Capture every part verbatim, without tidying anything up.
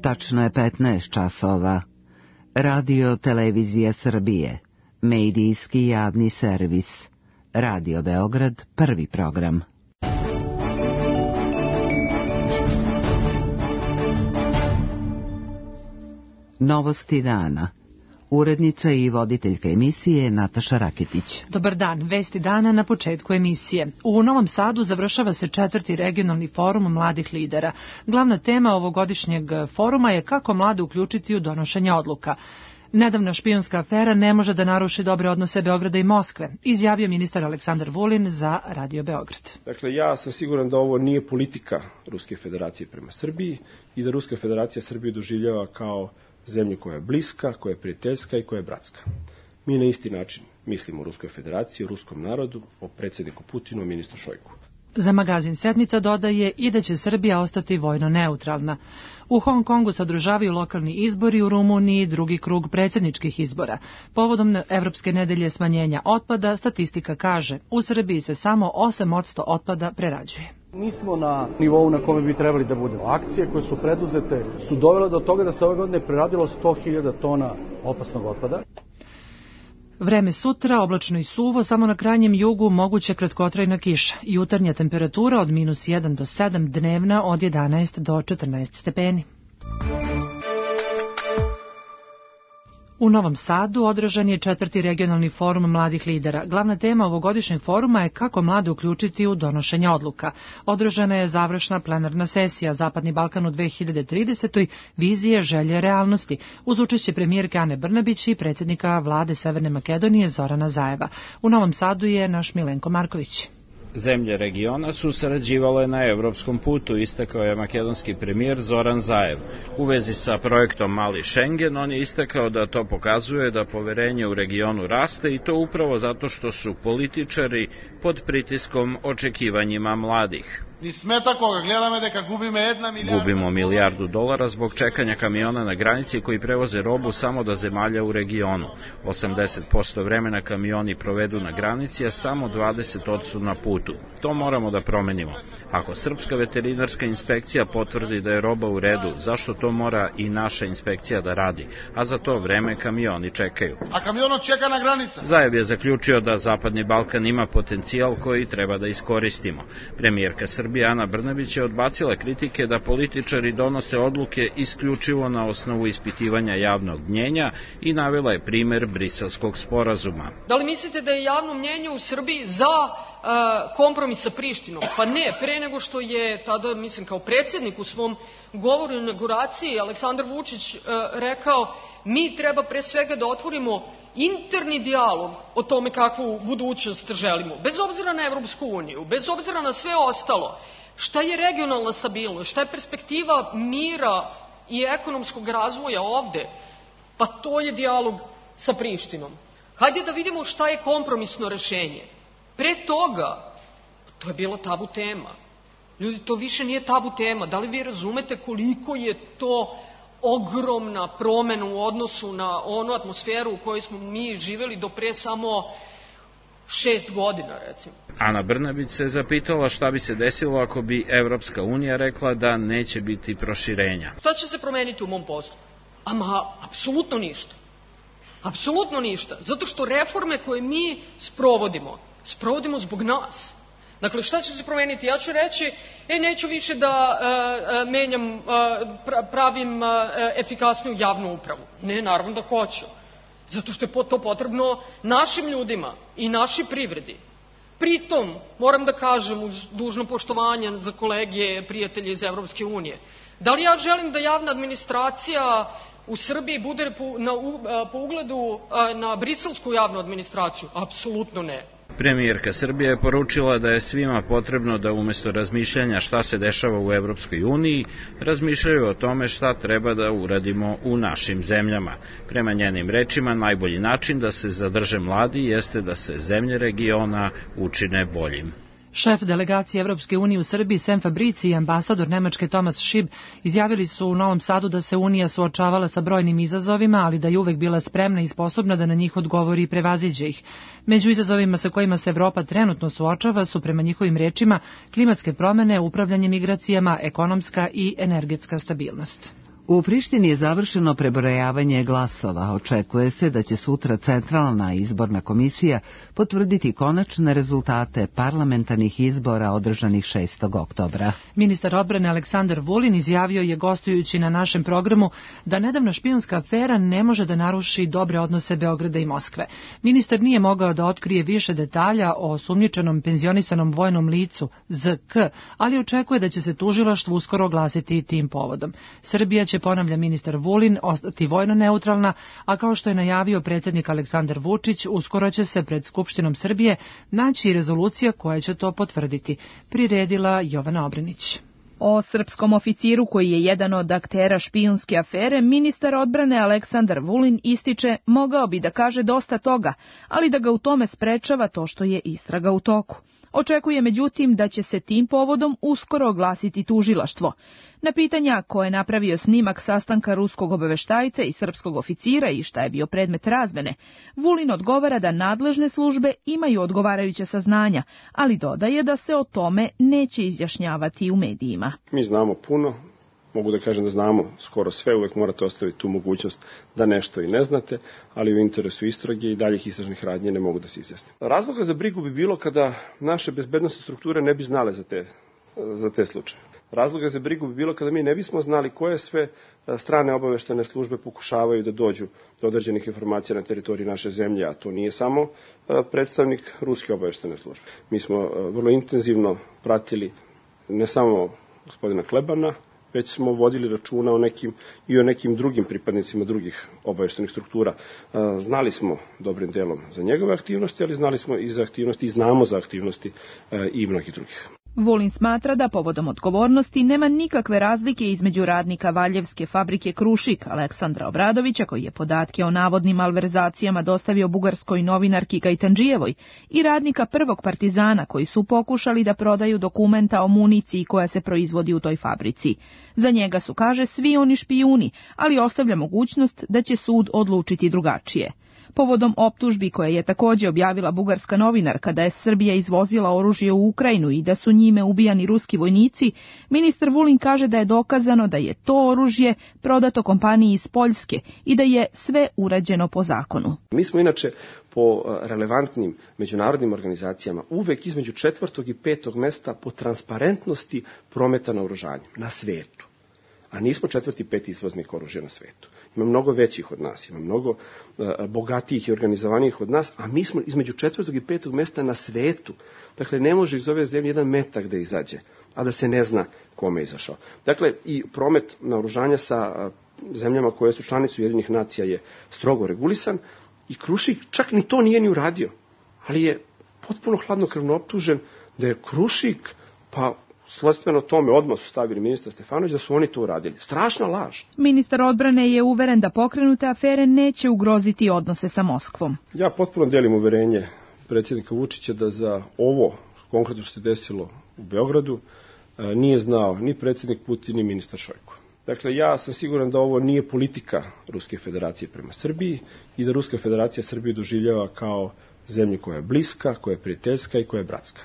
Tačno je petnaest časova. Radio Televizija Srbije, medijski javni servis. Radio Beograd, prvi program. Novosti dana. Urednica i voditeljka emisije Nataša Raketić. Dobar dan, vesti dana na početku emisije. U Novom Sadu završava se četvrti regionalni forum mladih lidera. Glavna tema ovogodišnjeg foruma je kako mlade uključiti u donošenje odluka. Nedavna špijunska afera ne može da naruši dobre odnose Beograda i Moskve, izjavio ministar Aleksandar Vulin za Radio Beograd. Dakle, ja sam siguran da ovo nije politika Ruske federacije prema Srbiji i da Ruska federacija Srbiju doživljava kao zemlju koja je bliska, koja je prijateljska i koja je bratska. Mi na isti način mislimo o Ruskoj federaciji, o ruskom narodu, o predsjedniku Putinu, o ministru Šojku. Za magazin Sedmica dodaje i da će Srbija ostati vojno neutralna. U Hong Kongu se održavaju lokalni izbori, u Rumuniji drugi krug predsjedničkih izbora. Povodom Evropske nedelje smanjenja otpada, statistika kaže, u Srbiji se samo osam posto otpada prerađuje. Nismo na nivou na kome bi trebali da budemo. Akcije koje su preduzete su dovele do toga da se ove godine preradilo sto hiljada tona opasnog otpada. Vreme sutra, oblačno i suvo, samo na krajnjem jugu moguće kratkotrajna kiša. Jutarnja temperatura od minus jedan do sedam, dnevna od jedanaest do četrnaest stepeni. U Novom Sadu održan je četvrti regionalni forum mladih lidera. Glavna tema ovogodišnjeg foruma je kako mlade uključiti u donošenje odluka. Održana je završna plenarna sesija Zapadni Balkan u dve hiljade tridesetoj. Vizije, želje, realnosti, uz učešće premijerke Ane Brnabić i predsjednika vlade Severne Makedonije Zorana Zajeva. U Novom Sadu je naš Milenko Marković. Zemlje regiona su sarađivale na evropskom putu, istakao je makedonski premijer Zoran Zaev. U vezi sa projektom Mali Šengen, on je istakao da to pokazuje da poverenje u regionu raste i to upravo zato što su političari pod pritiskom očekivanjima mladih. Gubimo milijardu dolara zbog čekanja kamiona na granici koji prevoze robu samo do zemalja u regionu. osamdeset posto vremena kamioni provedu na granici, a samo dvadeset posto na putu. To moramo da promenimo. Ako srpska veterinarska inspekcija potvrdi da je roba u redu, zašto to mora i naša inspekcija da radi? A za to vreme kamioni čekaju. A kamiono čeka na granica. Zajev je zaključio da Zapadni Balkan ima potencijal koji treba da iskoristimo. Premijerka Srbije Ana Brnabić je odbacila kritike da političari donose odluke isključivo na osnovu ispitivanja javnog mnjenja i navela je primer Briselskog sporazuma. Da li mislite da je javno mnjenje u Srbiji za uh, kompromis sa Prištinom? Pa ne, pre nego što je tada, mislim, kao predsjednik u svom govoru o inauguraciji Aleksandar Vučić uh, rekao, mi treba pre svega da otvorimo interni dijalog o tome kakvu budućnost želimo, bez obzira na Evropsku uniju, bez obzira na sve ostalo. Šta je regionalna stabilnost, šta je perspektiva mira i ekonomskog razvoja ovde? Pa to je dijalog sa Prištinom. Hajde da vidimo šta je kompromisno rešenje. Pre toga, to je bilo tabu tema. Ljudi, to više nije tabu tema. Da li vi razumete koliko je to ogromna promena u odnosu na onu atmosferu u kojoj smo mi živeli do pre samo šest godina, recimo. Ana Brnabić se zapitala šta bi se desilo ako bi Evropska unija rekla da neće biti proširenja. Šta će se promeniti u mom poslu? Ama, apsolutno ništa. Apsolutno ništa. Zato što reforme koje mi sprovodimo, sprovodimo zbog nas. Dakle, šta će se promeniti? Ja ću reći, e, neću više da e, menjam, e, pravim e, efikasniju javnu upravu. Ne, naravno da hoću. Zato što je to potrebno našim ljudima i našoj privredi. Pritom, moram da kažem, uz dužno poštovanje za kolege, prijatelje iz Evropske unije, da li ja želim da javna administracija u Srbiji bude po, na, po ugledu na briselsku javnu administraciju? Apsolutno ne. Premijerka Srbije je poručila da je svima potrebno da umjesto razmišljanja šta se dešava u Evropskoj uniji, razmišljaju o tome šta treba da uradimo u našim zemljama. Prema njenim rečima, najbolji način da se zadrže mladi jeste da se zemlje regiona učine boljim. Šef delegacije Evropske unije u Srbiji Sem Fabrici i ambasador Nemačke Thomas Schieb izjavili su u Novom Sadu da se Unija suočavala sa brojnim izazovima, ali da je uvek bila spremna i sposobna da na njih odgovori i prevaziđe ih. Među izazovima sa kojima se Evropa trenutno suočava su, prema njihovim rečima, klimatske promene, upravljanje migracijama, ekonomska i energetska stabilnost. U Prištini je završeno prebrojavanje glasova. Očekuje se da će sutra Centralna izborna komisija potvrditi konačne rezultate parlamentarnih izbora održanih šestog oktobra. Ministar odbrane Aleksandar Vulin izjavio je gostujući na našem programu da nedavna špijunska afera ne može da naruši dobre odnose Beograda i Moskve. Ministar nije mogao da otkrije više detalja o osumnjičenom penzionisanom vojnom licu Z K, ali očekuje da će se tužilaštvo uskoro oglasiti tim povodom. Srbija će, ponavlja ministar Vulin, ostati vojno neutralna, a kao što je najavio predsjednik Aleksandar Vučić, uskoro će se pred Skupštinom Srbije naći i rezolucija koja će to potvrditi, priredila Jovana Obrenić. O srpskom oficiru koji je jedan od aktera špijunske afere, ministar odbrane Aleksandar Vulin ističe mogao bi da kaže dosta toga, ali da ga u tome sprečava to što je istraga u toku. Očekuje međutim da će se tim povodom uskoro oglasiti tužilaštvo. Na pitanja ko je napravio snimak sastanka ruskog obaveštajca i srpskog oficira i šta je bio predmet razmene, Vulin odgovara da nadležne službe imaju odgovarajuća saznanja, ali dodaje da se o tome neće izjašnjavati u medijima. Mi znamo puno, mogu da kažem da znamo skoro sve, uvek morate ostaviti tu mogućnost da nešto i ne znate, ali u interesu istrage i daljih istražnih radnji ne mogu da se izjasnim. Razloga za brigu bi bilo kada naše bezbednosne strukture ne bi znale za te, za te slučaje. Razloga za brigu bi bilo kada mi ne bismo znali koje sve strane obaveštene službe pokušavaju da dođu do određenih informacija na teritoriji naše zemlje, a to nije samo predstavnik ruske obaveštene službe. Mi smo vrlo intenzivno pratili ne samo gospodina Klebana, već smo vodili računa o nekim i o nekim drugim pripadnicima drugih obaveštenih struktura. Znali smo dobrim delom za njegove aktivnosti, ali znali smo i za aktivnosti i znamo za aktivnosti i mnogih drugih. Vulin smatra da povodom odgovornosti nema nikakve razlike između radnika Valjevske fabrike Krušik Aleksandra Obradovića, koji je podatke o navodnim malverzacijama dostavio bugarskoj novinarki Gajtandžijevoj, i radnika Prvog Partizana, koji su pokušali da prodaju dokumenta o municiji koja se proizvodi u toj fabrici. Za njega su, kaže, svi oni špijuni, ali ostavlja mogućnost da će sud odlučiti drugačije. Povodom optužbi koje je također objavila bugarska novinarka da je Srbija izvozila oružje u Ukrajinu i da su njime ubijani ruski vojnici, ministar Vulin kaže da je dokazano da je to oružje prodato kompaniji iz Poljske i da je sve urađeno po zakonu. Mi smo inače po relevantnim međunarodnim organizacijama uvek između četvrtog i petog mesta po transparentnosti prometa naoružanja na svetu. A nismo četvrti, peti izvoznik oružja na svetu. Ima mnogo većih od nas, ima mnogo uh, bogatijih i organizovanijih od nas, a mi smo između četvrtog i petog mesta na svetu. Dakle, ne može iz ove zemlje jedan metak da izađe, a da se ne zna kome je izašao. Dakle, i promet naoružanja sa uh, zemljama koje su članice Ujedinjenih nacija je strogo regulisan i Krušik čak ni to nije ni uradio, ali je potpuno hladnokrvno optužen da je Krušik, pa sledstveno tome odmah su stavili ministar Stefanović da su oni to uradili. Strašna laž. Ministar odbrane je uveren da pokrenute afere neće ugroziti odnose sa Moskvom. Ja potpuno delim uverenje predsjednika Vučića da za ovo konkretno što se desilo u Beogradu nije znao ni predsjednik Putin ni ministar Šojko. Dakle, ja sam siguran da ovo nije politika Ruske federacije prema Srbiji i da Ruska federacija Srbiju doživljava kao zemlju koja je bliska, koja je prijateljska i koja je bratska.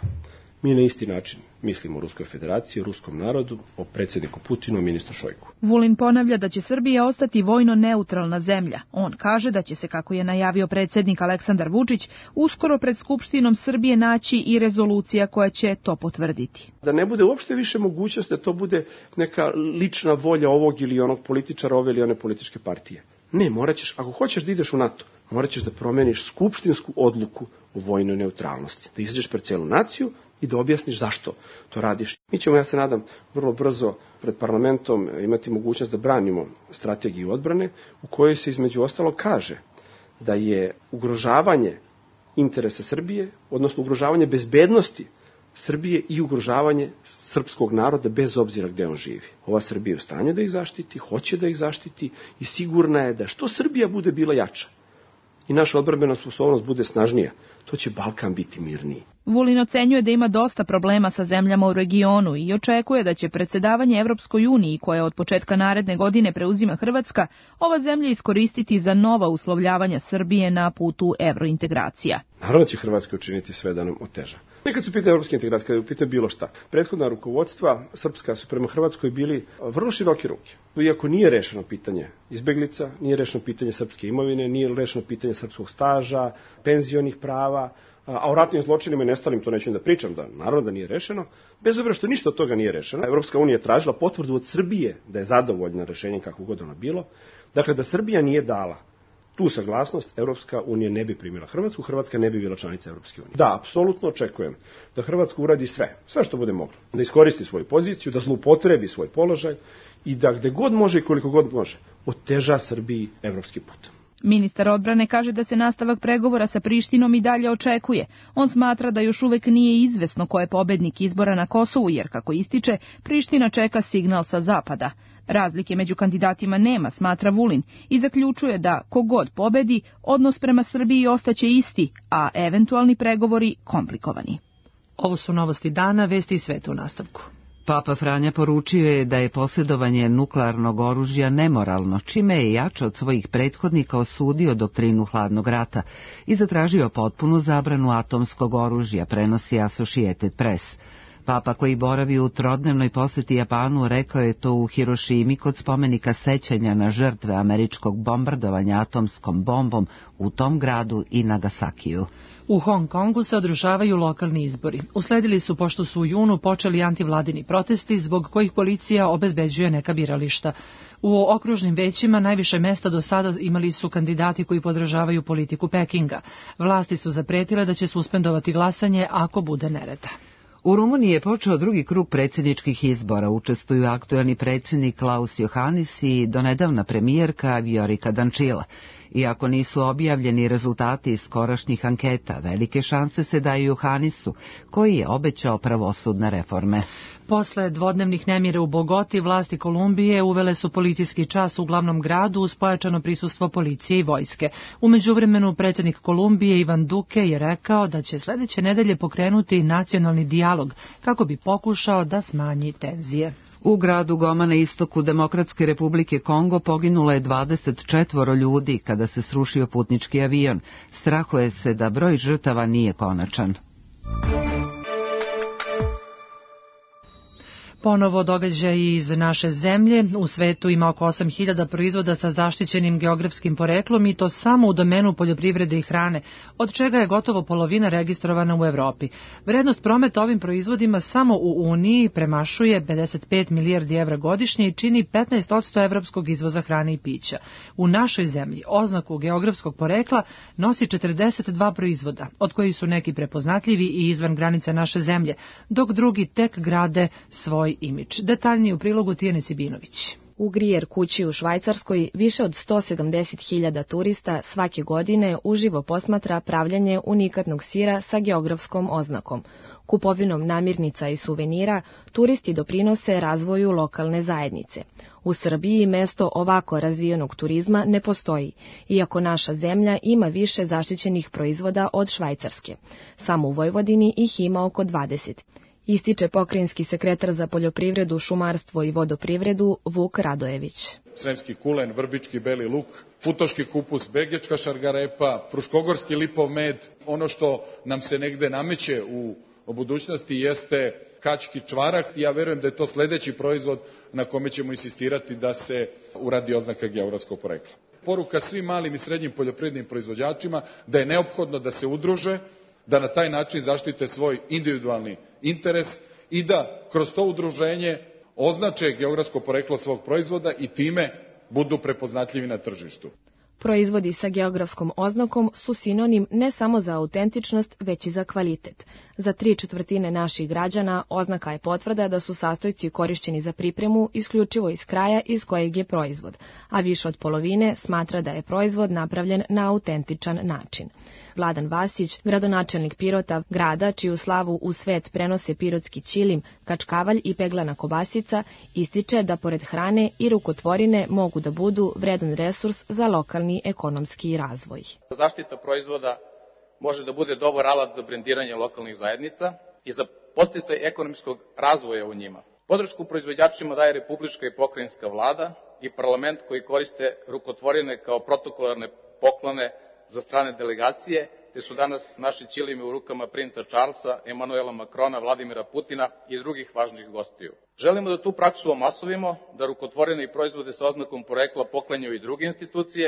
Mi na isti način mislimo o Ruskoj federaciji, o ruskom narodu, o predsjedniku Putinu, o ministru Šojku. Vulin ponavlja da će Srbija ostati vojno neutralna zemlja. On kaže da će se, kako je najavio predsjednik Aleksandar Vučić, uskoro pred Skupštinom Srbije naći i rezolucija koja će to potvrditi. Da ne bude uopšte više mogućnost da to bude neka lična volja ovog ili onog političara, ove ili one političke partije. Ne, morat ćeš, ako hoćeš da ideš u NATO, morat ćeš da promeniš skupštinsku odluku o vojnoj neutralnosti. Da izađeš pred celu naciju i da objasniš zašto to radiš. Mi ćemo, ja se nadam, vrlo brzo pred parlamentom imati mogućnost da branimo strategiju odbrane u kojoj se između ostalog kaže da je ugrožavanje interesa Srbije, odnosno ugrožavanje bezbednosti Srbije i ugrožavanje srpskog naroda bez obzira gde on živi. Ova Srbija je u stanju da ih zaštiti, hoće da ih zaštiti i sigurna je da što Srbija bude bila jača i naša odbrambena sposobnost bude snažnija, to će Balkan biti mirniji. Vulin ocenjuje da ima dosta problema sa zemljama u regionu i očekuje da će predsjedavanje Evropskoj uniji, koje od početka naredne godine preuzima Hrvatska, ova zemlja iskoristiti za nova uslovljavanja Srbije na putu evrointegracija. Naravno će Hrvatska učiniti sve da nam oteža. Nekad su pitanje evropske integracije, kada je pitanje bilo šta. Prethodna rukovodstva srpska su prema Hrvatskoj bili vrlo široke ruke. Iako nije rešeno pitanje izbeglica, nije rešeno pitanje srpske imovine, nije rešeno pitanje srpskog staža, penzionih prava, a o ratnim zločinima i nestalim to neću da pričam, da naravno da nije rešeno, bez obzira što ništa od toga nije rešeno. Evropska unija je tražila potvrdu od Srbije da je zadovoljna rešenjem kako god ono bilo. Dakle, da Srbija nije dala tu saglasnost, Evropska unija ne bi primila Hrvatsku, Hrvatska ne bi bila članica Evropske unije. Da, apsolutno očekujem da Hrvatska uradi sve, sve što bude moglo, da iskoristi svoju poziciju, da zloupotrebi svoj položaj i da gde god može i koliko god može, oteža Srbiji evropski put. Ministar odbrane kaže da se nastavak pregovora sa Prištinom i dalje očekuje. On smatra da još uvek nije izvesno ko je pobednik izbora na Kosovu, jer, kako ističe, Priština čeka signal sa zapada. Razlike među kandidatima nema, smatra Vulin, i zaključuje da kogod pobedi, odnos prema Srbiji ostaće isti, a eventualni pregovori komplikovani. Ovo su novosti dana, vesti i sveta u nastavku. Papa Franja poručio je da je posjedovanje nuklearnog oružja nemoralno, čime je jače od svojih prethodnika osudio doktrinu hladnog rata i zatražio potpunu zabranu atomskog oružja, prenosi Associated Press. Papa, koji boravi u trodnevnoj poseti Japanu, rekao je to u Hirošimi kod spomenika sećanja na žrtve američkog bombardovanja atomskom bombom u tom gradu i Nagasakiju. U Hong Kongu se održavaju lokalni izbori. Usledili su pošto su u junu počeli antivladini protesti zbog kojih policija obezbeđuje neka birališta. U okružnim većima najviše mesta do sada imali su kandidati koji podržavaju politiku Pekinga. Vlasti su zapretile da će suspendovati glasanje ako bude nereda. U Rumuniji je počeo drugi krug predsjedničkih izbora. Učestvuju aktuelni predsjednik Klaus Johannis i donedavna premijerka Viorica Dančila. Iako nisu objavljeni rezultati iz skorašnjih anketa, velike šanse se daju Johannisu, koji je obećao pravosudne reforme. Posle dvodnevnih nemira u Bogoti, vlasti Kolumbije uvele su policijski čas u glavnom gradu uz pojačano prisustvo policije i vojske. U međuvremenu predsjednik Kolumbije Ivan Duque je rekao da će sledeće nedelje pokrenuti nacionalni dijalog kako bi pokušao da smanji tenzije. U gradu Goma na istoku Demokratske republike Kongo poginulo je dvadeset četvoro ljudi kada se srušio putnički avion. Strahuje se da broj žrtava nije konačan. Ponovo događaj iz naše zemlje. U svetu ima oko osam hiljada proizvoda sa zaštićenim geografskim poreklom i to samo u domenu poljoprivrede i hrane, od čega je gotovo polovina registrovana u Evropi. Vrednost prometa ovim proizvodima samo u Uniji premašuje pedeset pet milijardi evra godišnje i čini petnaest posto evropskog izvoza hrane i pića. U našoj zemlji oznaku geografskog porekla nosi četrdeset dva proizvoda, od kojih su neki prepoznatljivi i izvan granica naše zemlje, dok drugi tek grade svoj imidž. Detaljnije u prilogu Tijane Sibinović. U Grijer kući u Švajcarskoj više od sto sedamdeset hiljada turista svake godine uživo posmatra pravljanje unikatnog sira sa geografskom oznakom. Kupovinom namirnica i suvenira turisti doprinose razvoju lokalne zajednice. U Srbiji mesto ovako razvijenog turizma ne postoji, iako naša zemlja ima više zaštićenih proizvoda od Švajcarske. Samo u Vojvodini ih ima oko dvadeset. Ističe pokrajinski sekretar za poljoprivredu, šumarstvo i vodoprivredu Vuk Radojević. Sremski kulen, vrbički beli luk, futoški kupus, begečka šargarepa, fruškogorski lipov med. Ono što nam se negde nameće u, u budućnosti jeste kački čvarak. Ja verujem da je to sledeći proizvod na kome ćemo insistirati da se uradi oznaka geografskog porekla. Poruka svim malim i srednjim poljoprivrednim proizvođačima da je neophodno da se udruže, da na taj način zaštite svoj individualni interes i da kroz to udruženje označe geografsko poreklo svog proizvoda i time budu prepoznatljivi na tržištu. Proizvodi sa geografskom oznakom su sinonim ne samo za autentičnost, već i za kvalitet. Za tri četvrtine naših građana oznaka je potvrda da su sastojci korišćeni za pripremu isključivo iz kraja iz kojeg je proizvod, a više od polovine smatra da je proizvod napravljen na autentičan način. Vladan Vasić, gradonačelnik Pirota, grada čiju slavu u svet prenose pirotski ćilim, kačkavalj i peglana kobasica, ističe da pored hrane i rukotvorine mogu da budu vredan resurs za lokalni ekonomski razvoj. Zaštita proizvoda može da bude dobar alat za brendiranje lokalnih zajednica i za podsticaj ekonomskog razvoja u njima. Podršku proizvođačima daje republička i pokrajinska vlada i parlament koji koriste rukotvorine kao protokolarne poklone za strane delegacije, te su danas naši ćilimi u rukama princa Charlesa, Emanuela Makrona, Vladimira Putina i drugih važnih gostiju. Želimo da tu praksu omasovimo, da rukotvorene proizvode sa oznakom porekla poklanjaju i druge institucije,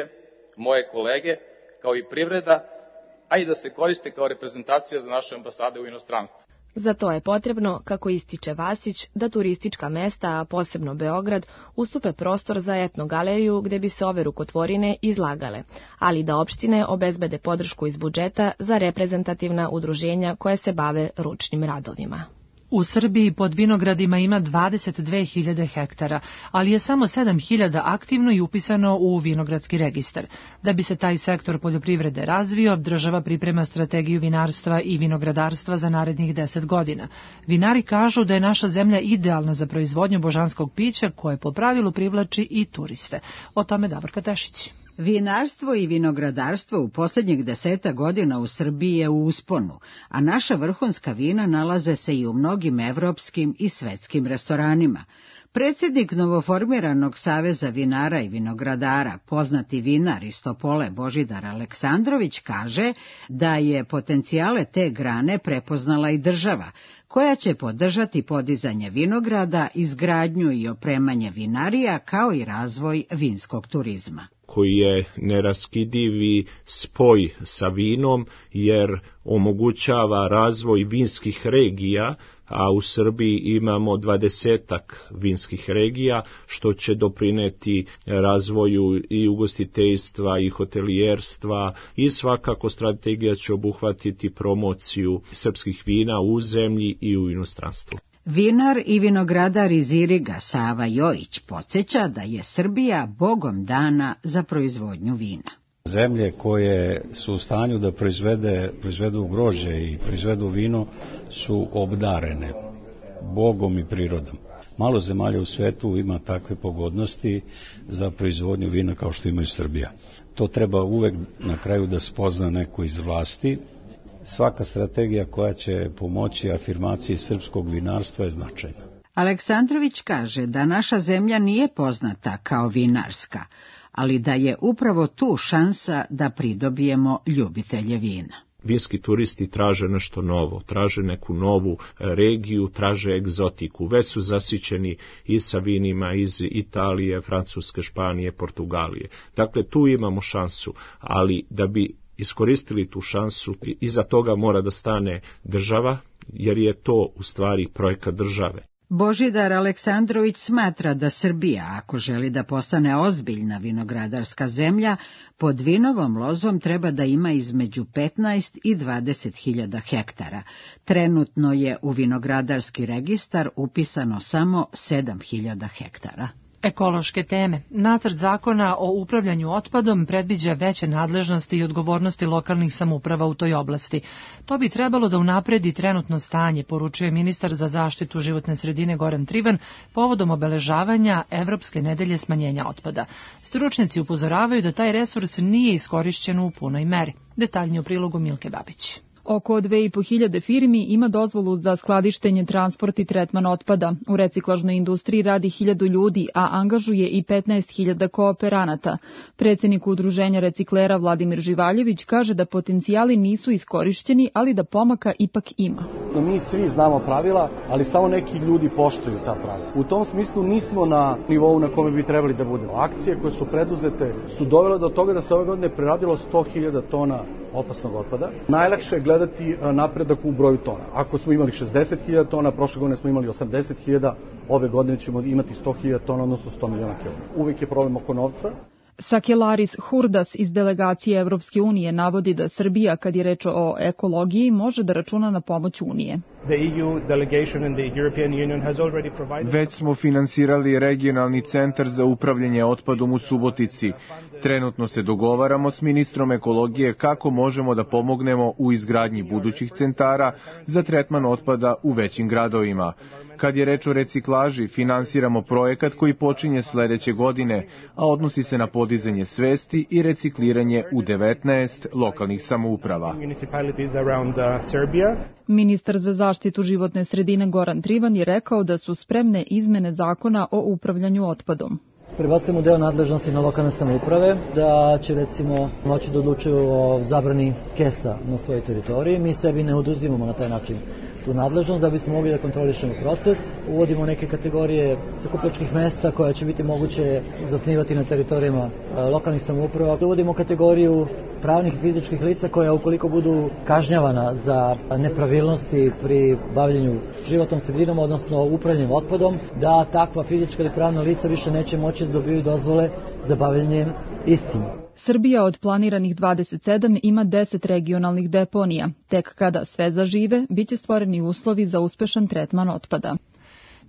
moje kolege, kao i privreda, a i da se koriste kao reprezentacija za naše ambasade u inostranstvu. Za to je potrebno, kako ističe Vasić, da turistička mesta, a posebno Beograd, ustupe prostor za etnogaleriju gde bi se ove rukotvorine izlagale, ali da opštine obezbede podršku iz budžeta za reprezentativna udruženja koje se bave ručnim radovima. U Srbiji pod vinogradima ima dvadeset dve hiljade hektara, ali je samo sedam hiljada aktivno i upisano u vinogradski registar. Da bi se taj sektor poljoprivrede razvio, država priprema strategiju vinarstva i vinogradarstva za narednih deset godina. Vinari kažu da je naša zemlja idealna za proizvodnju božanskog pića, koje po pravilu privlači i turiste. O tome Davorka Tešić. Vinarstvo i vinogradarstvo u posljednjih deseta godina u Srbiji je u usponu, a naša vrhunska vina nalaze se i u mnogim evropskim i svetskim restoranima. Predsjednik novoformiranog Saveza vinara i vinogradara, poznati vinar iz Topole Božidar Aleksandrović, kaže da je potencijale te grane prepoznala i država, koja će podržati podizanje vinograda, izgradnju i opremanje vinarija, kao i razvoj vinskog turizma, koji je neraskidivi spoj sa vinom, jer omogućava razvoj vinskih regija, a u Srbiji imamo dvadesetak vinskih regija, što će doprineti razvoju i ugostiteljstva i hotelijerstva, i svakako strategija će obuhvatiti promociju srpskih vina u zemlji i u inostranstvu. Vinar i vinogradar iz Iriga Sava Jojić podsjeća da je Srbija bogom dana za proizvodnju vina. Zemlje koje su u stanju da proizvede, proizvedu grožđe i proizvedu vino su obdarene bogom i prirodom. Malo zemalja u svetu ima takve pogodnosti za proizvodnju vina kao što ima i Srbija. To treba uvek na kraju da spozna neko iz vlasti. Svaka strategija koja će pomoći afirmaciji srpskog vinarstva je značajna. Aleksandrović kaže da naša zemlja nije poznata kao vinarska, ali da je upravo tu šansa da pridobijemo ljubitelje vina. Vinski turisti traže nešto novo, traže neku novu regiju, traže egzotiku. Već su zasićeni i sa vinima iz Italije, Francuske, Španije, Portugalije. Dakle, tu imamo šansu, ali da bi iskoristili tu šansu, iza toga mora da stane država, jer je to u stvari projekat države. Božidar Aleksandrović smatra da Srbija, ako želi da postane ozbiljna vinogradarska zemlja, pod vinovom lozom treba da ima između petnaest i dvadeset hiljada hektara. Trenutno je u vinogradarski registar upisano samo sedam hiljada hektara. Ekološke teme. Nacrt zakona o upravljanju otpadom predviđa veće nadležnosti i odgovornosti lokalnih samouprava u toj oblasti. To bi trebalo da unapredi trenutno stanje, poručuje ministar za zaštitu životne sredine Goran Trivan povodom obeležavanja Evropske nedelje smanjenja otpada. Stručnjaci upozoravaju da taj resurs nije iskorišćen u punoj meri. Detaljnije u prilogu Milke Babić. Oko dve i po hiljade firmi ima dozvolu za skladištenje, transport i tretman otpada. U reciklažnoj industriji radi hiljadu ljudi, a angažuje i petnaest hiljada kooperanata. Predsjednik udruženja reciklera Vladimir Živaljević kaže da potencijali nisu iskorišćeni, ali da pomaka ipak ima. Mi svi znamo pravila, ali samo neki ljudi poštuju ta pravila. U tom smislu nismo na nivou na kome bi trebali da budemo. Akcije koje su preduzete su dovele do toga da se ove godine preradilo sto hiljada tona opasnog otpada. Najlakše je gledati napredak u broju tona. Ako smo imali šezdeset hiljada tona, prošle godine smo imali osamdeset hiljada, ove godine ćemo imati sto hiljada tona, odnosno sto miliona kilograma. Uvijek je problem oko novca. Sakelaris Hurdas iz delegacije Evropske unije navodi da Srbija, kad je reč o ekologiji, može da računa na pomoć Unije. Već smo finansirali regionalni centar za upravljanje otpadom u Subotici. Trenutno se dogovaramo s ministrom ekologije kako možemo da pomognemo u izgradnji budućih centara za tretman otpada u većim gradovima. Kad je reč o reciklaži, finansiramo projekat koji počinje sledeće godine, a odnosi se na podizanje svesti i recikliranje u devetnaest lokalnih samouprava. Ministar za zaštitu životne sredine Goran Trivan je rekao da su spremne izmene zakona o upravljanju otpadom. prebacujemo deo nadležnosti na lokalne samouprave, da će recimo moći da odlučuju o zabrani kesa na svojoj teritoriji. Mi sebi ne oduzimamo na taj način tu nadležnost da bismo mogli da kontrolišemo proces. Uvodimo neke kategorije sakupljačkih mesta koja će biti moguće zasnivati na teritorijama lokalnih samouprava. Uvodimo kategoriju pravnih i fizičkih lica koja ukoliko budu kažnjavana za nepravilnosti pri bavljenju životnom sredinom, odnosno upravljanjem otpadom, da takva fizička ili pravna lica više neće moći da dobiju dozvole za bavljenje istim. Srbija od planiranih dvadeset sedam ima deset regionalnih deponija. Tek kada sve zažive, biće stvoreni uslovi za uspešan tretman otpada.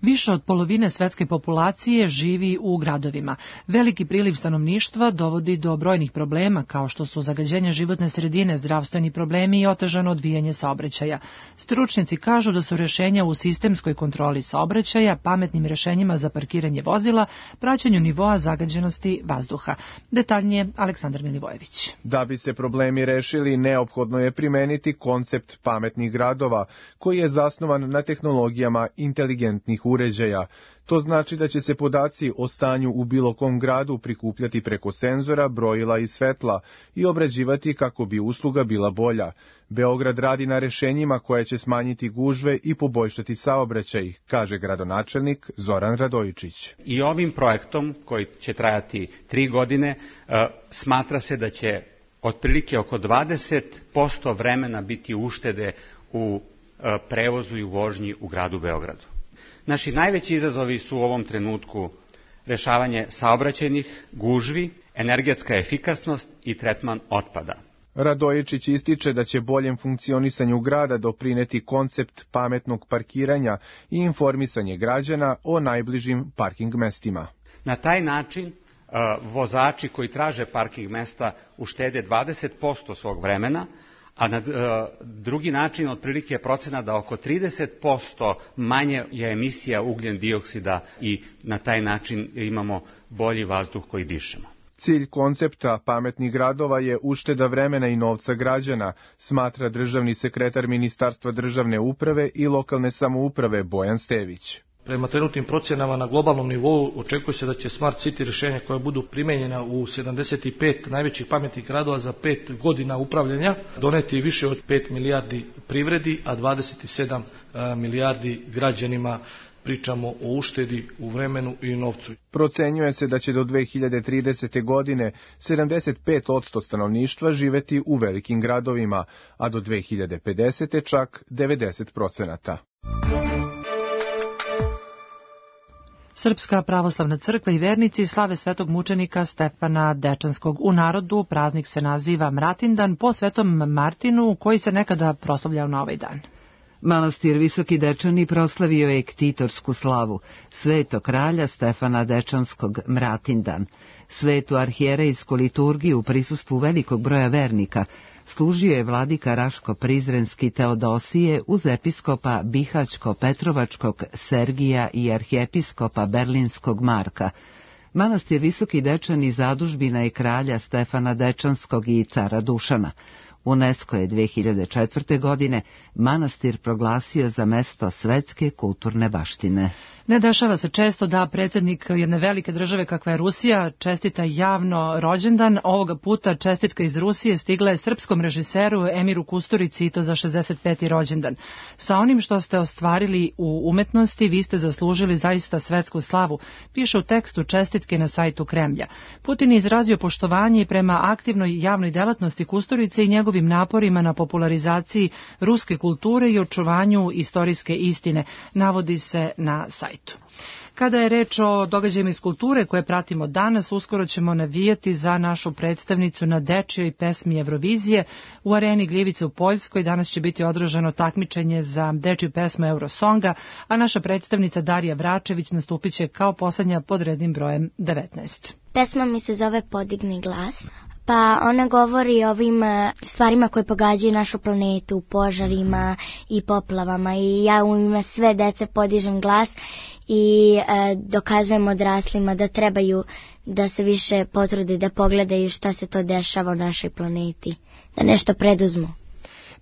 Više od polovine svetske populacije živi u gradovima. Veliki priliv stanovništva dovodi do brojnih problema, kao što su zagađenje životne sredine, zdravstveni problemi i otežano odvijanje saobraćaja. Stručnjaci kažu da su rešenja u sistemskoj kontroli saobraćaja, pametnim rešenjima za parkiranje vozila, praćenju nivoa zagađenosti vazduha. Detaljnije Aleksandar Milivojević. Da bi se problemi rešili, neophodno je primeniti koncept pametnih gradova, koji je zasnovan na tehnologijama inteligentnih uređaja. To znači da će se podaci o stanju u bilo kom gradu prikupljati preko senzora, brojila i svetla i obrađivati kako bi usluga bila bolja. Beograd radi na rešenjima koje će smanjiti gužve i poboljšati saobraćaj, kaže gradonačelnik Zoran Radojičić. I ovim projektom, koji će trajati tri godine, smatra se da će otprilike oko dvadeset posto vremena biti uštede u prevozu i u vožnji u gradu Beogradu. Naši najveći izazovi su u ovom trenutku rešavanje saobraćajnih gužvi, energetska efikasnost i tretman otpada. Radojičić ističe da će boljem funkcionisanju grada doprineti koncept pametnog parkiranja i informisanje građana o najbližim parking mestima. Na taj način vozači koji traže parking mesta uštede dvadeset posto svog vremena, a na drugi način otprilike je procena da oko trideset posto manje je emisija ugljen dioksida i na taj način imamo bolji vazduh koji dišemo. Cilj koncepta pametnih gradova je ušteda vremena i novca građana, smatra državni sekretar Ministarstva državne uprave i lokalne samouprave Bojan Stević. Prema trenutnim procjenama na globalnom nivou očekuje se da će Smart City rješenja koja budu primenjena u sedamdeset pet najvećih pametnih gradova za pet godina upravljanja doneti više od pet milijardi privredi, a dvadeset sedam milijardi građanima. Pričamo o uštedi u vremenu i novcu. Procenjuje se da će do dve hiljade tridesete. godine sedamdeset pet posto stanovništva živeti u velikim gradovima, a do dve hiljade pedesete. čak devedeset procenata. Srpska pravoslavna crkva i vernici slave svetog mučenika Stefana Dečanskog. U narodu praznik se naziva Mratindan po svetom Martinu, koji se nekada proslavljao na ovaj dan. Manastir Visoki Dečani proslavio je ktitorsku slavu, sveto kralja Stefana Dečanskog Mratindan. Svetu arhijerejsku liturgiju u prisustvu velikog broja vernika služio je vladika Raško-Prizrenski Teodosije uz episkopa Bihaćko-Petrovačkog Sergija i arhijepiskopa Berlinskog Marka. Manastir Visoki Dečani zadužbina je kralja Stefana Dečanskog i cara Dušana. UNESCO je dve hiljade četvrte. godine manastir proglasio za mesto svetske kulturne baštine. Ne dešava se često da predsjednik jedne velike države kakva je Rusija čestita javno rođendan. Ovoga puta čestitka iz Rusije stigla je srpskom režiseru Emiru Kusturici i to za šezdeset peti rođendan. Sa onim što ste ostvarili u umetnosti, vi ste zaslužili zaista svetsku slavu, piše u tekstu čestitke na sajtu Kremlja. Putin je izrazio poštovanje prema aktivnoj javnoj delatnosti Kusturice i njegovim naporima na popularizaciji ruske kulture i očuvanju istorijske istine, navodi se na sajtu. Kada je reč o događajima iz kulture koje pratimo danas, uskoro ćemo navijati za našu predstavnicu na dečijoj pesmi Eurovizije. U areni Gljevice u Poljskoj danas će biti održano takmičenje za dečiju pesmu Eurosonga, a naša predstavnica Darija Vračević nastupit će kao poslednja pod rednim brojem devetnaest. Pesma mi se zove Podigni glas. Pa ona govori o ovim stvarima koje pogađaju našu planetu, požarima i poplavama, i ja u ime sve dece podižem glas i e, dokazujem odraslima da trebaju da se više potrude da pogledaju šta se to dešava u našoj planeti, da nešto preduzmu.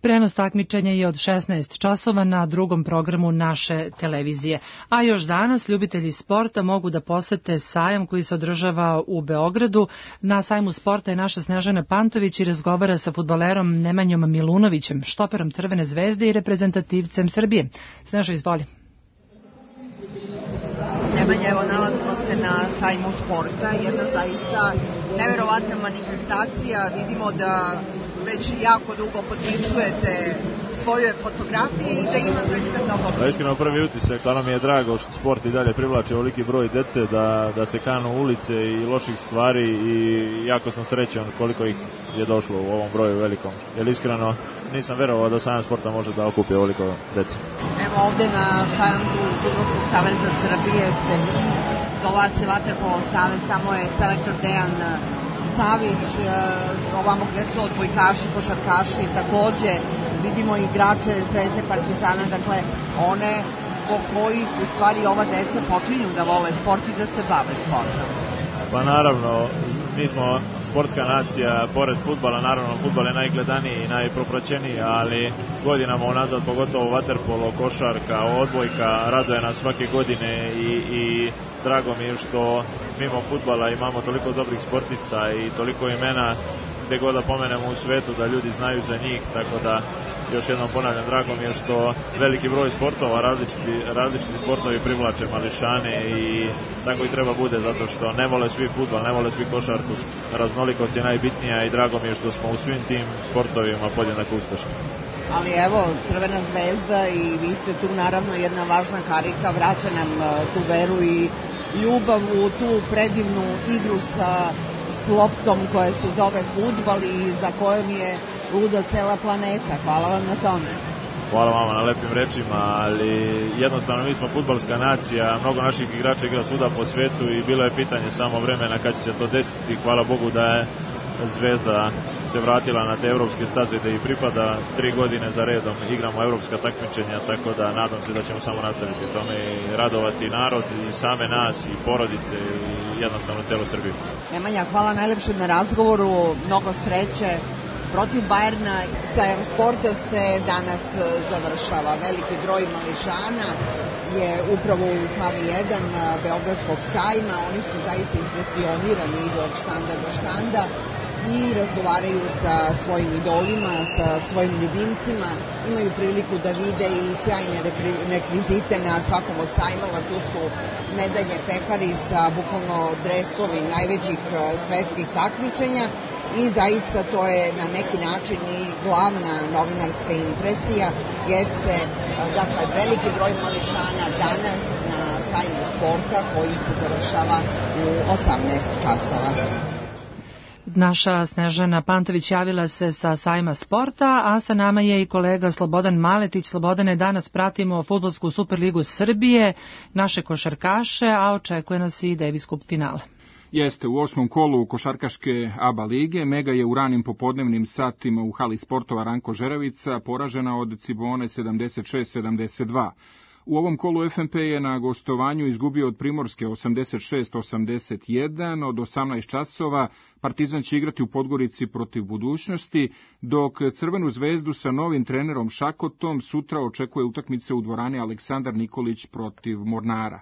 Prenos takmičenja je od šesnaest časova na drugom programu naše televizije. A još danas ljubitelji sporta mogu da posete sajam koji se održava u Beogradu. Na sajmu sporta je naša Snežana Pantović i razgovara sa fudbalerom Nemanjom Milunovićem, štoperom Crvene zvezde i reprezentativcem Srbije. Snežo, izvoli. Nemanja, evo nalazimo se na sajmu sporta, jedna zaista neverovatna manifestacija. Vidimo da već jako dugo potpisujete svoje fotografije i da ima zaista mnogo. Da, iskreno prvi utisak, stvarno mi je drago što sport i dalje privlači ovoliki broj dece, da, da se kanu ulice i loših stvari i jako sam srećan koliko ih je došlo u ovom broju velikom. Jer iskreno nisam verovao da sajam sporta može da okupi ovoliko dece. Evo ovde na štandu Fudbalskog saveza Srbije ste vi, do vas je Vaterpolo savez, tamo je selektor Dejan Savić, ovamo gde su odbojkaši, košarkaši, takođe vidimo igrače Zvezde, Partizana, dakle one zbog kojih u stvari ova deca počinju da vole sport i da se bave sportom. Pa naravno, mi smo sportska nacija, pored fudbala, naravno fudbal je najgledaniji i najpropraćeniji, ali godinama unazad, pogotovo vaterpolo, košarka, odbojka, raduje nas svake godine i, i drago mi je što mimo fudbala imamo toliko dobrih sportista i toliko imena gde god da pomenemo u svetu da ljudi znaju za njih, tako da još jednom ponavljam, drago mi je što veliki broj sportova, različiti, različiti sportovi privlače mališane i tako i treba bude, zato što ne vole svi fudbal, ne vole svi košarku, raznolikost je najbitnija i drago mi je što smo u svim tim sportovima podjednako uspešni. Ali evo, Crvena zvezda i vi ste tu naravno jedna važna karika, vraća nam tu veru i ljubav u tu predivnu igru sa loptom koja se zove fudbal i za kojom je luda cela planeta. Hvala vam na tome. Hvala vama na lepim rečima, ali jednostavno mi smo fudbalska nacija, mnogo naših igrača igra svuda po svetu i bilo je pitanje samo vremena kad će se to desiti. Hvala Bogu da je Zvezda se vratila na te evropske staze da i pripada, tri godine za redom igramo evropska takmičenja, tako da nadam se da ćemo samo nastaviti tome i radovati narod i same nas i porodice i jednostavno celu Srbiju. Nemanja, hvala najlepše na razgovoru, mnogo sreće. Protiv Bajerna sajam sporta se danas završava. Veliki broj mališana je upravo u hali jedan Beogradskog sajma. Oni su zaista impresionirani, idu od štanda do štanda i razgovaraju sa svojim idolima, sa svojim ljubimcima. Imaju priliku da vide i sjajne rekvizite na svakom od sajmova. Tu su medalje pekari sa bukvalno dresovi najvećih svetskih takmičenja. I zaista to je na neki način i glavna novinarska impresija, jeste dakle veliki broj mališana danas na sajmu sporta koji se završava u osamnaest časova. Naša Snežana Pantović javila se sa sajma sporta, a sa nama je i kolega Slobodan Maletić. Slobodane, danas pratimo Fudbalsku Superligu Srbije, naše košarkaše, a očekuje nas i Davis Cup finale. Jeste, u osmom kolu košarkaške A B A lige Mega je u ranim popodnevnim satima u hali sportova Ranko Žeravica poražena od Cibone sedamdeset šest sedamdeset dva. U ovom kolu F M P je na gostovanju izgubio od Primorske osamdeset šest osamdeset jedan, od osamnaest časova Partizan će igrati u Podgorici protiv Budućnosti, dok Crvenu zvezdu sa novim trenerom Šakotom sutra očekuje utakmica u dvorani Aleksandar Nikolić protiv Mornara.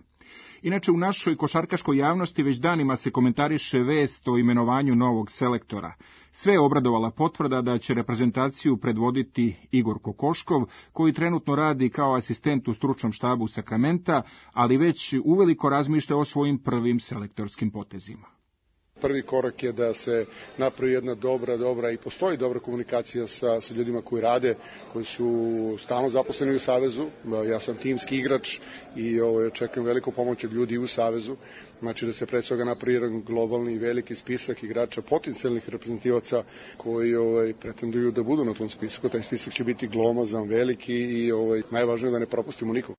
Inače, u našoj košarkaškoj javnosti već danima se komentariše vest o imenovanju novog selektora. Sve je obradovala potvrda da će reprezentaciju predvoditi Igor Kokoškov, koji trenutno radi kao asistent u stručnom štabu Sakramenta, ali već uveliko razmišlja o svojim prvim selektorskim potezima. Prvi korak je da se napravi jedna dobra, dobra i postoji dobra komunikacija sa, sa ljudima koji rade, koji su stalno zaposleni u Savezu. Ja sam timski igrač i ovo, očekujem veliku pomoć od ljudi u Savezu. Znači da se pre svega napravi jedan globalni i veliki spisak igrača, potencijalnih reprezentativaca koji ovaj, pretenduju da budu na tom spisku. Taj spisak će biti glomazan, veliki i ovaj, najvažnije je da ne propustimo nikog.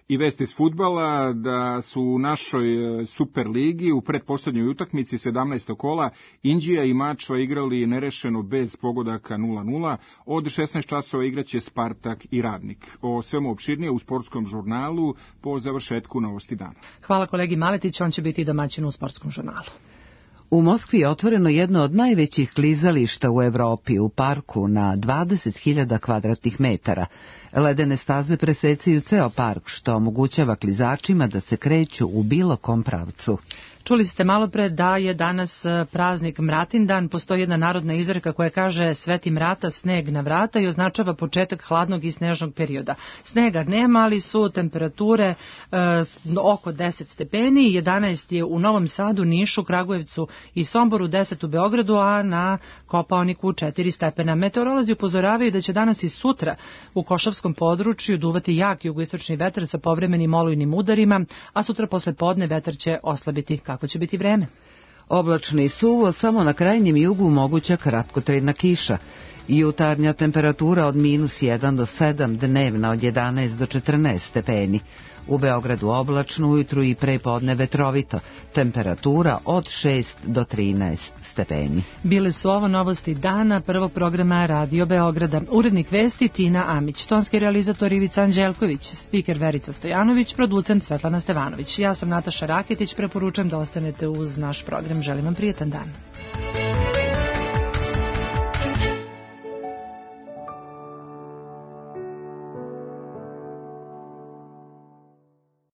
I vest iz fudbala da su u našoj Superligi u pretposlednjoj utakmici sedamnaestog kola Inđija i Mačva igrali nerešeno bez pogodaka nula nula. Od šesnaest časova igraće Spartak i Radnik. O svemu opširnije u sportskom žurnalu po završetku Novosti dana. Hvala kolegi Maletiću, on će biti domaćin u sportskom žurnalu. U Moskvi je otvoreno jedno od najvećih klizališta u Evropi u parku na dvadeset hiljada kvadratnih metara. Ledene staze presecaju ceo park, što omogućava klizačima da se kreću u bilo kom pravcu. Čuli ste malo pre da je danas praznik Mratindan. Postoji jedna narodna izreka koja kaže sveti mrata, sneg na vrata i označava početak hladnog i snežnog perioda. Snega nema, ali su temperature e, oko deset stepeni, jedanaest je u Novom Sadu, Nišu, Kragujevcu i Somboru, deset u Beogradu, a na Kopaoniku četiri stepena. Meteorolozi upozoravaju da će danas i sutra u Košavskom području duvati jak jugoistočni vetar sa povremenim olujnim udarima, a sutra posle podne vetar će oslabiti. Kako će biti vreme? Oblačno i suvo, samo na krajnjem jugu moguća kratkotrajna kiša. Jutarnja temperatura od minus jedan do sedam, dnevna od jedanaest do četrnaest stepeni. U Beogradu oblačno, ujutru i pre podne vetrovito. Temperatura od šest do trinaest stepeni. Bile su ovo novosti dana prvog programa Radio Beograda. Urednik vesti Tina Amić, tonski realizator Ivica Anđelković, spiker Verica Stojanović, producent Svetlana Stevanović. Ja sam Nataša Raketić, preporučujem da ostanete uz naš program. Želim vam prijetan dan.